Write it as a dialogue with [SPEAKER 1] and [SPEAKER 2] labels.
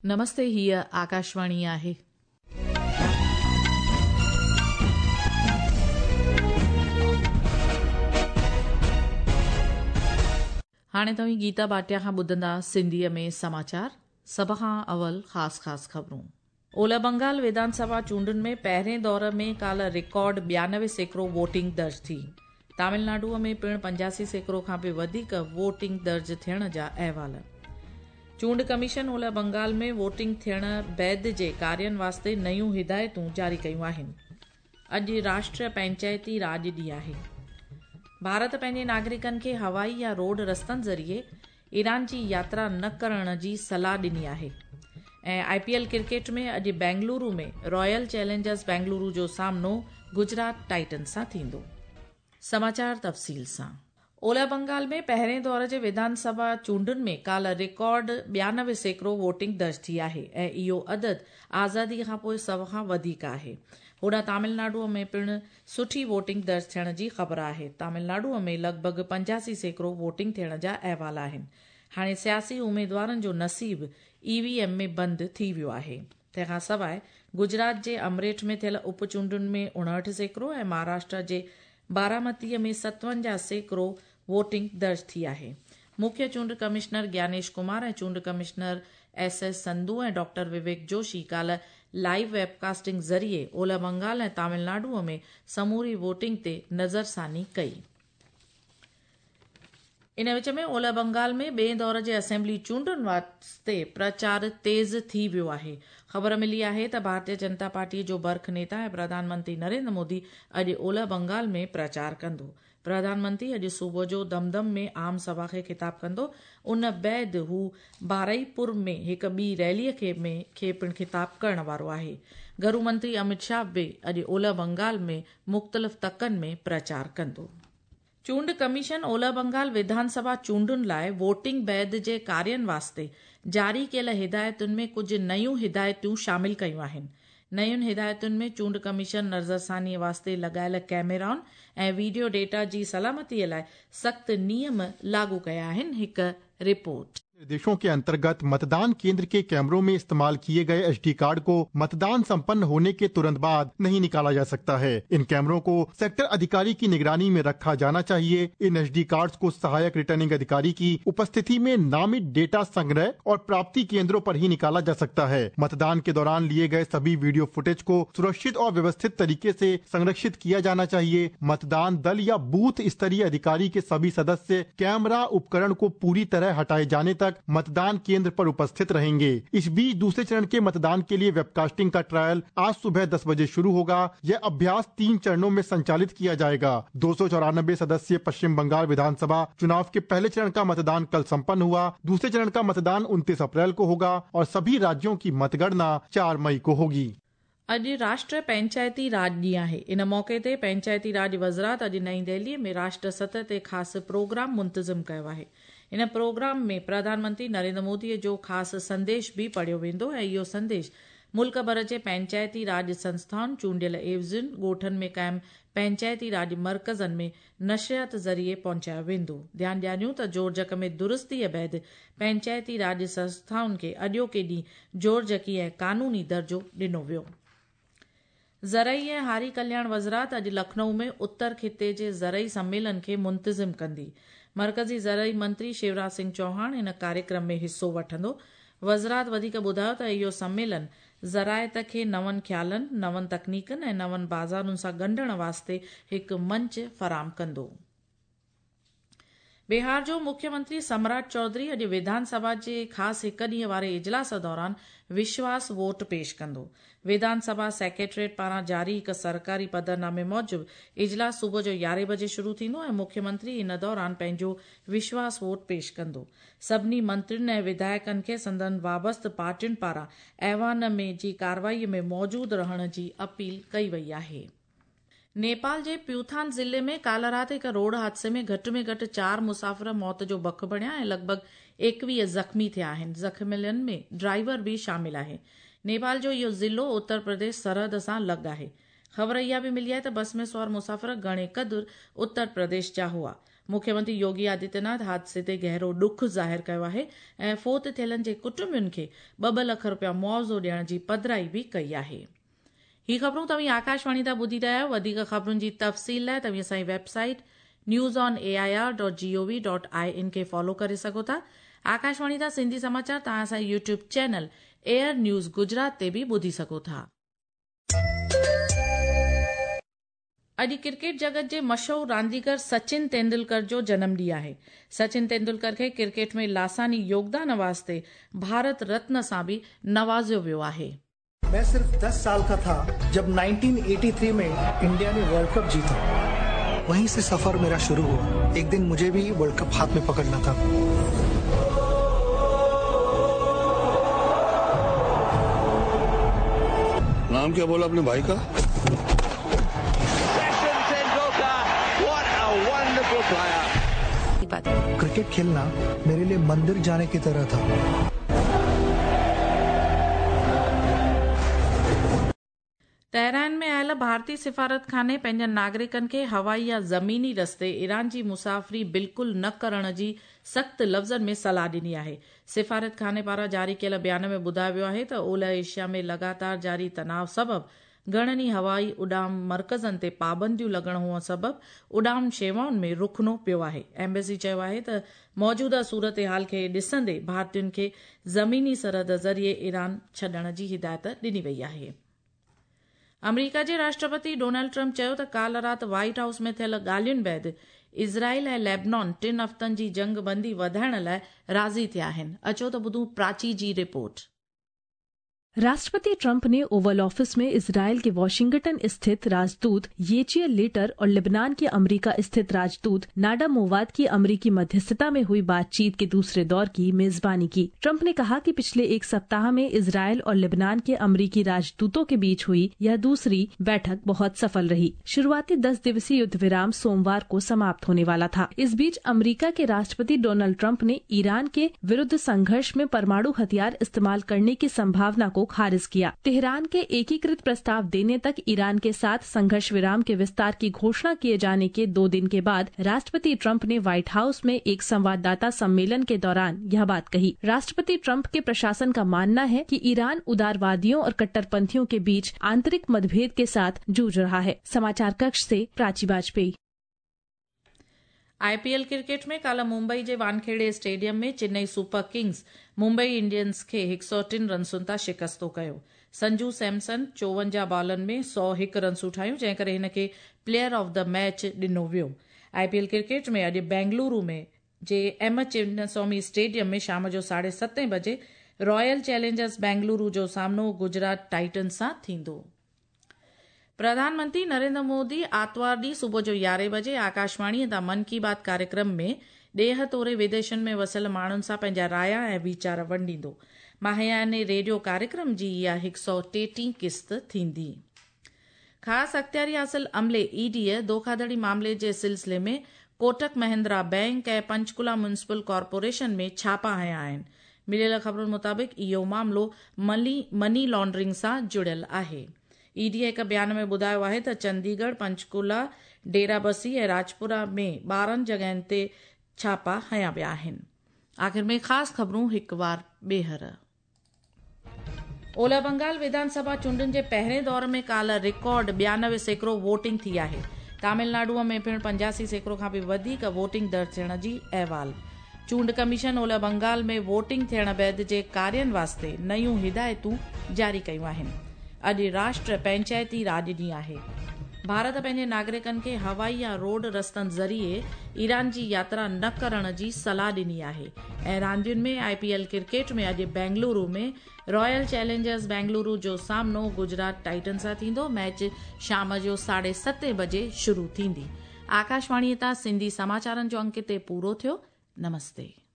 [SPEAKER 1] نمستي هيء آڪاشواڻي آهي. هاڻي توهين گيتا ڀاٽيا کان ٻڌندا سنڌيء ۾ سماچار، سڀ کان اول خاص خاص خبرون. اولهه بنگال وڌان سڀا چونڊن ۾ پهرين دور ۾ ڪالهه رڪارڊ 92% ووٽنگ درج ٿي. تامل ناڊوء ۾ پڻ 85% کان به وڌيڪ ووٽنگ درج ٿيڻ جا احوال. چونڊ ڪميشن اولهه بنگال ۾ ووٽنگ ٿيڻ بعد جي ڪارين واسطي نيون هدايتون جاري ڪيون آهن. اڄ راشٽر پئنچائتي راڄ ڏينهن آهي. ڀارت پنهنجي ناگرڪن کي هوائي يا روڊ رستن ذريعي ايران جي ياترا نه ڪرڻ جي صلاح ڏني آهي ۽ آء پي ايل ڪرڪيٽ ۾ اڄ بينگلورو ۾ رائل چئلينجرز بينگلورو جو سامنو گجرات ٽائٽنز سان ٿيندو. سماچار تفصيل سان. اولهه بنگال ۾ پهرين دور جي وڌان سڀا چونڊن ۾ ڪالهه رڪارڊ 92% ووٽنگ درج ٿي آهي ۽ اهو عدد آزادي کانپوء سڀ کان وڌيڪ آهي. هوڏانهن تامل ناڊو ۾ پڻ سٺي ووٽنگ درج ٿيڻ جي خبر آهي. تامل ناڊو ۾ لڳ ڀڳ 85% ووٽنگ ٿيڻ جا احوال آهن. هاڻي سياسي اميدوارن جو نصيب اي وي ايم ۾ بند ٿي ويو آهي. تنهن کان سواء گجرات جي امريٺ ۾ ٿيل اپ چونڊن ۾ 59% ۽ مهاراشٽرا جي بارامتي ۾ 57% ووٽنگ درج ٿي آهي. مکيه چونڊ ڪمشنر گيانيش ڪمار ۽ چونڊ commissioner S S Sandhu ۽ doctor Vivek Joshi ڪالهه لائيو ويب ڪاسٽنگ ذريعي اولهه بنگال ۽ تامل ناڊو ۾ سموري ووٽنگ تي نظرثاني ڪئي. ان وچ ۾ اولهه بنگال ۾ ٻئين دور جي اسيمبلي چونڊن واسطي پرچار تيز ٿي ويو آهي. خبر ملي آهي ته ڀارتيه جنتا پارٽي جو برک نيتا ۽ پرڌان منتري نريندر مودي اڄ اولهه بنگال ۾ پرچار ڪندو. پرڌان منتري اڄ صبح جو دمدم ۾ عام سڀا کي خطاب ڪندو. ان بعد هو بارئي پور ۾ هڪ ٻي ريلي کي ۾ کي پڻ خطاب ڪرڻ وارو آهي. گهرو منتري امت شاهه به اڄ اولهه بنگال ۾ مختلف تڪن ۾ پرچار ڪندو. چونڊ ڪميشن اولهه بنگال وڌان سڀا چونڊن لاء ووٽنگ بعد جي ڪارين واسطي جاري ڪيل هدايتن ۾ ڪجهه نيون هدايتون شامل ڪيون آهن. نين هدايتن ۾ چونڊ ڪميشن نظرثاني واسطي لڳايل ڪئميرائن ۽ وڊيو ڊيٽا جي سلامتي لاء سخت نيم لاڳو ڪيا آهن. هڪ رپورٽ.
[SPEAKER 2] निर्देशों के अंतर्गत मतदान केंद्र के कैमरों में इस्तेमाल किए गए एसडी कार्ड को मतदान संपन्न होने के तुरंत बाद नहीं निकाला जा सकता है। इन कैमरों को सेक्टर अधिकारी की निगरानी में रखा जाना चाहिए। इन एसडी कार्ड्स को सहायक रिटर्निंग अधिकारी की उपस्थिति में नामित डेटा संग्रह और प्राप्ति केंद्रों पर ही निकाला जा सकता है। मतदान के दौरान लिए गए सभी वीडियो फुटेज को सुरक्षित और व्यवस्थित तरीके से संरक्षित किया जाना चाहिए। मतदान दल या बूथ स्तरीय अधिकारी के सभी सदस्य कैमरा उपकरण को पूरी तरह हटाए जाने तक मतदान केंद्र पर उपस्थित रहेंगे। इस बीच दूसरे चरण के मतदान के लिए वेबकास्टिंग का ट्रायल आज सुबह 10 बजे शुरू होगा। यह अभ्यास 3 चरणों में संचालित किया जाएगा। 294 सदस्यीय पश्चिम बंगाल विधानसभा चुनाव के पहले चरण का मतदान कल संपन्न हुआ। दूसरे चरण का मतदान 29 अप्रैल को होगा और सभी राज्यों की मतगणना 4 मई को होगी।
[SPEAKER 1] अॼु राष्ट्र पंचायती राज ॾींहुं आहे। इन मौक़े ते पंचायती राज वज़ारत अॼु नई दिल्लीअ में राष्ट्र सतह ते ख़ासि प्रोग्राम मुंतज़िम कयो आहे। इन प्रोग्राम में प्रधानमंत्री नरेंद्र मोदीअ जो ख़ासि संदेश बि पढ़ियो वेंदो ऐं इहो संदेश मुल्क भर जे पंचायती राज संस्थाउनि, चूंडियल एवज़ियुनि, ॻोठनि में क़ाइमु पंचायती राज मर्कज़नि में नशरियात ज़रिए पहुचायो वेंदो। ध्यानु ॾियारियूं त जोड़जक में दुरुस्तीअ बाद पंचायती राज संस्थाउनि खे अॼोके ॾींहुं जोड़जकी ऐं क़ानूनी दर्जो ॾिनो वियो। ज़रई ऐं हारी कल्याण वज़ारत अॼु लखनऊ में उत्तर ख़िते जे ज़रई सम्मेलन खे मुंतज़िम कंदी। मर्कज़ी ज़रई मंत्री शिवराज सिंह चौहान इन कार्यक्रम में हिसो वठंदो। वज़ारत वधीक ॿुधायो त इहो सम्मेलन ज़राइत खे नवनि ख़्यालनि, नवनि तकनीकनि ऐं नवनि बाज़ारुनि सां ॻंढण वास्ते हिकु मंच फराहम कंदो। बिहार जो मुख्यमंत्री सम्राट चौधरी अॼु विधानसभा जे ख़ासि हिकु ॾींहं वारे इजलास दौरान विश्वास वोट पेश कंदो। विधानसभा सेक्रेटेरिएट पारां जारी हिकु सरकारी पधरनामे मूजिबि इजलास सुबुह जो 11 बजे शुरू थींदो ऐं मुख्यमंत्री इन दौरान पंहिंजो विश्वास वोट पेश कंदो। सभिनी मंत्रियुनि ऐं विधायकनि खे संदन वाबस्त पार्टियुनि पारां ऐवान में जी कार्रवाई में मौजूदु रहण जी अपील कई वई आहे। नेपाल जे प्यूथान ज़िले में काल्ह राति हिकु रोड हादसे में घटि में घटि 4 मुसाफ़िर मौत जो बक बणिया ऐं लॻभॻि 21 ज़ख़्मी थिया आहिनि। ज़ख़्मियलनि में ड्राइवर बि शामिल आहे। नेपाल जो इहो ज़िलो उत्तर प्रदेश सरहद सां लॻ आहे। ख़बर इहा बि मिली आहे त बस में सवार मुसाफ़िर घणे क़दुरु उत्तर प्रदेश जा हुआ। मुख्यमंत्री योगी आदित्यनाथ हादसे ते गहरो ॾुख ज़ाहिर कयो आहे ऐं फोत थियलनि जे कुटुंबनि खे 2-2 लख रुपया मुआवज़ो ॾियण जी पधराई बि कई आहे। ही ख़बरूं तव्हीं आकाशवाणी तां ॿुधी रहिया आहियो। वधीक ख़बरुनि जी तफ़सील लाइ तव्हीं असांजी वेबसाइट newsonair.gov.in खे फॉलो करे सघो था। आकाशवाणी तां सिंधी समाचार तव्हां असांजे YouTube channel AIR news Gujarat ते बि ॿुधी सघो था। अॼु क्रिकेट जगत जे मशहूर रांदीगर सचिन तेंदुलकर जो जनम ॾींहुं आहे। सचिन तेंदुलकर खे क्रिकेट में लासानी योगदान वास्ते भारत रत्न सां बि नवाज़ियो वियो आहे।
[SPEAKER 3] मैं सिर्फ 10 साल का था जब 1983 में इंडिया ने वर्ल्ड कप जीता। वहीं से सफर मेरा शुरू हुआ। एक दिन मुझे भी वर्ल्ड कप हाथ में पकड़ना था।
[SPEAKER 4] नाम क्या बोला अपने भाई का?
[SPEAKER 3] क्रिकेट खेलना मेरे लिए मंदिर जाने की तरह था।
[SPEAKER 1] तेहरान में आयल भारतीय सिफारत खाने पंहिंजनि नागरिकनि खे हवाई या ज़मीनी रस्ते ईरान जी मुसाफ़िरी बिल्कुलु न करण जी सख़्त लफ़्ज़नि में सलाह ॾिनी आहे। सिफारत खाने पारां जारी कयल बयान में ॿुधायो वियो आहे त ओलह एशिया में लगातार जारी तनाव सबबु घणनि ई हवाई उॾाम मर्कज़नि ते पाबंदियूं लॻण हुअण सबबु उॾाम शेवाउनि में रुखनो पियो आहे। एम्बेसी चयो आहे त मौजूदा सूरत हाल खे ॾिसंदे भारतीयुनि खे ज़मीनी सरहद ज़रिए ईरान छॾण जी हिदायत ॾिनी वई आहे। अमेरिका जे राष्ट्रपति डोनाल्ड ट्रंप चयो त काल राति व्हाइट हाउस में थियल ॻाल्हियुनि बाद इज़राइल ऐं लेबनान 3 हफ़्तनि जी जंगबंदी वधाइण लाइ राज़ी थिया आहिनि। अचो त ॿुधूं प्राची जी रिपोर्ट।
[SPEAKER 5] राष्ट्रपति ट्रंप ने ओवल ऑफिस में इजरायल के वॉशिंगटन स्थित राजदूत येचियल लेटर और लेबनान के अमेरिका स्थित राजदूत नाडा मोवाद की अमेरिकी मध्यस्थता में हुई बातचीत के दूसरे दौर की मेजबानी की। ट्रंप ने कहा कि पिछले एक सप्ताह में इजरायल और लेबनान के अमेरिकी राजदूतों के बीच हुई यह दूसरी बैठक बहुत सफल रही। शुरुआती 10 दिवसीय युद्ध विराम सोमवार को समाप्त होने वाला था। इस बीच अमेरिका के राष्ट्रपति डोनाल्ड ट्रंप ने ईरान के विरुद्ध संघर्ष में परमाणु हथियार इस्तेमाल करने की संभावना को खारिज किया। तेहरान के एकीकृत प्रस्ताव देने तक ईरान के साथ संघर्ष विराम के विस्तार की घोषणा किए जाने के 2 दिन के बाद राष्ट्रपति ट्रंप ने व्हाइट हाउस में एक संवाददाता सम्मेलन के दौरान यह बात कही। राष्ट्रपति ट्रंप के प्रशासन का मानना है कि ईरान उदारवादियों और कट्टरपंथियों के बीच आंतरिक मतभेद के साथ जूझ रहा है। समाचार कक्ष से प्राची वाजपेयी।
[SPEAKER 1] आईपीएल क्रिकेट में काल मुंबई जे Wankhede stadium में Chennai super kings Mumbai Indians खे 103 रनसुनि तां शिकस्तो कयो। संजू सैमसन 54 बॉलनि में 101 रनसूं ठाहियूं, जंहिं करे हिन खे प्लेयर ऑफ the match ॾिनो वियो। आईपीएल क्रिकेट में अॼु बेंगलुरु में जे एम चिन्नस्वामी स्टेडियम में शाम जो 7:30 बजे रॉयल चैलेंजर्स बेंगलुरु जो सामनो गुजरात टाइटन्स सां थींदो। प्रधानमंत्री नरेंद्र मोदी आतिवार ॾींहुं सुबुह जो 11 बजे आकाशवाणीअ तां मन की बात कार्यक्रम में ॾेह तोड़े विदेशनि में वसियल माण्हुनि सां पंहिंजा राया ऐं वीचार वंडींदो। माहियाने रेडियो कार्यक्रम जी इहा 133 क़िस्त थींदी। ख़ासि अख़्तियारी हासिल अमले ईडीअ धोखाधड़ी मामले जे सिलसिले में कोटक महिंद्रा बैंक ऐं पंचकुला म्युनिसिपल कॉरपोरेशन में छापा हया आहिनि। मिलियल ख़बरुनि मुताबिक़ इहो मामिलो मनी लॉन्ड्रिंग सां जुड़ियल आहे। ईडी हिकु बयान में ॿुधायो आहे त चंडीगढ़, पंचकुला, डेराबसी ऐं राजपुरा में 12 जॻहियुनि ते छापा हया विया आहिनि। आख़िर में ख़ासि ख़बरूं हिकु वार ॿीहर। ओलह बंगाल विधानसभा चूंडुनि जे पहिरें दौर में काल रिकॉर्ड 92% वोटिंग थी आहे। तमिलनाडुअ में पिणु 85% खां बि वधीक वोटिंग दर्ज थियण जी अहवाल। चूंड कमीशन ओलह बंगाल में वोटिंग थियण बाद जे कार्यनि वास्ते नयूं हिदायतूं जारी कयूं आहिनि। अॼु राष्ट्र पंचायती राज ॾींहुं आहे। भारत पंहिंजे नागरिकनि खे हवाई या रोड रस्तनि ज़रिए ईरान जी यात्रा न करण जी सलाह ॾिनी आहे। ऐं रांदियुनि में आईपीएल क्रिकेट में अॼु बेंगलुरु में रॉयल चैलेंजर्स बेंगलुरु जो सामनो गुजरात टाइटन सां थींदो। मैच शाम जो 7:30 बजे शुरू थींदी। आकाशवाणीअ तां सिंधी समाचारनि जो अंक हिते पूरो थियो। नमस्ते।